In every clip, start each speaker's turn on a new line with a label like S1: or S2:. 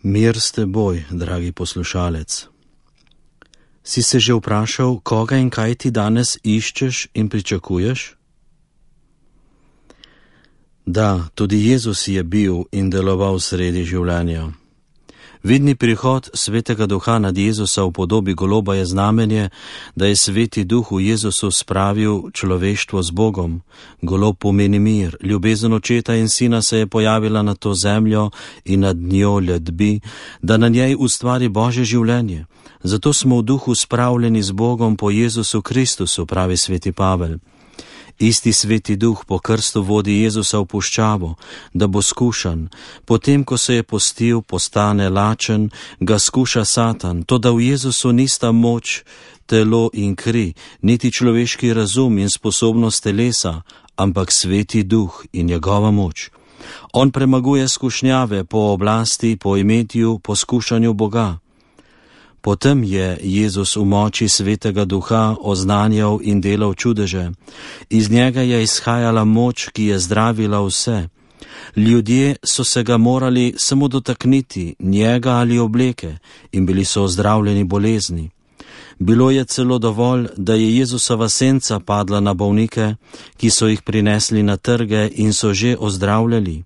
S1: Mir s teboj, dragi poslušalec. Si se že vprašal, koga in kaj ti danes iščeš in pričakuješ? Da, tudi Jezus je bil in deloval sredi življenja. Vidni prihod Svetega Duha nad Jezusa v podobi goloba je znamenje, da je Sveti Duh v Jezusu spravil človeštvo z Bogom. Golob pomeni mir, ljubezen Očeta in Sina se je pojavila na to zemljo in nad njo ljudbi, da na njej ustvari Božje življenje. Zato smo v duhu spravljeni z Bogom po Jezusu Kristusu, pravi Sveti Pavel. Isti Sveti Duh po krstu vodi Jezusa v puščavo, da bo skušan. Potem, ko se je postil, postane lačen, ga skuša Satan. Toda v Jezusu nista moč, telo in kri, niti človeški razum in sposobnost telesa, ampak Sveti Duh in njegova moč. On premaguje skušnjave po oblasti, po imetju, po skušanju Boga. Potem je Jezus v moči Svetega Duha oznanjal in delal čudeže. Iz njega je izhajala moč, ki je zdravila vse. Ljudje so se ga morali samo dotakniti, njega ali obleke, in bili so ozdravljeni bolezni. Bilo je celo dovolj, da je Jezusova senca padla na bolnike, ki so jih prinesli na trge in so že ozdravljali.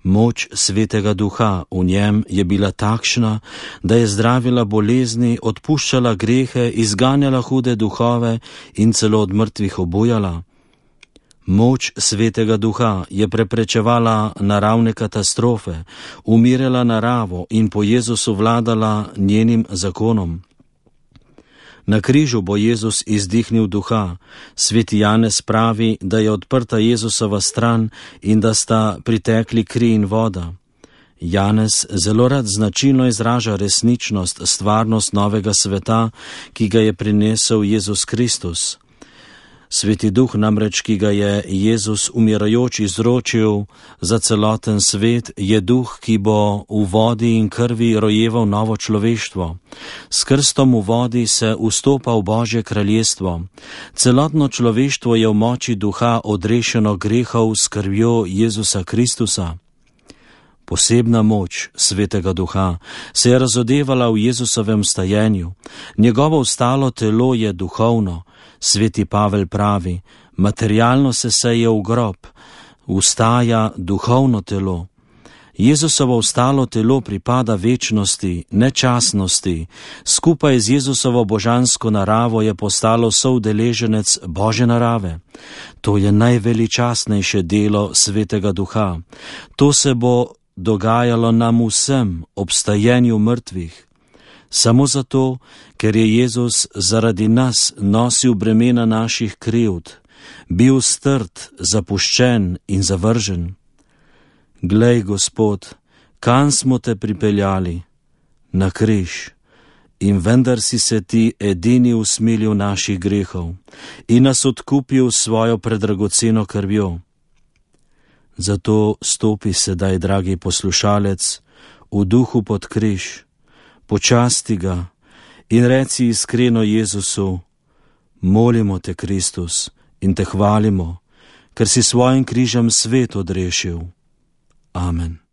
S1: Moč Svetega Duha v njem je bila takšna, da je zdravila bolezni, odpuščala grehe, izganjala hude duhove in celo od mrtvih obujala. Moč Svetega Duha je preprečevala naravne katastrofe, umirjala naravo in po Jezusu vladala njenim zakonom. Na križu bo Jezus izdihnil duha. Sveti Janez pravi, da je odprta Jezusova stran in da sta pritekli kri in voda. Janez zelo rad značilno izraža resničnost, stvarnost novega sveta, ki ga je prinesel Jezus Kristus. Sveti Duh namreč, ki ga je Jezus umirajoč izročil za celoten svet, je Duh, ki bo v vodi in krvi rojeval novo človeštvo. S krstom v vodi se vstopa v Božje kraljestvo. Celotno človeštvo je v moči Duha odrešeno grehov s krvjo Jezusa Kristusa. Posebna moč Svetega Duha se je razodevala v Jezusovem stajenju. Njegovo ostalo telo je duhovno. Sveti Pavel pravi, materialno se seje v grob, vstaja duhovno telo. Jezusovo ostalo telo pripada večnosti, nečasnosti. Skupaj z Jezusovo božansko naravo je postalo soudeleženec Božje narave. To je najveličastnejše delo Svetega Duha. To se bo dogajalo nam vsem ob stajenju mrtvih. Samo zato, ker je Jezus zaradi nas nosil bremena naših krivd, bil strt, zapuščen in zavržen. Glej, Gospod, kam smo te pripeljali? Na križ. In vendar si se ti edini usmilil naših grehov in nas odkupil svojo predragoceno krvjo. Zato stopi sedaj, dragi poslušalec, v duhu pod križ, počasti ga in reci iskreno Jezusu, molimo te, Kristus, in te hvalimo, ker si svojim križem svet odrešil. Amen.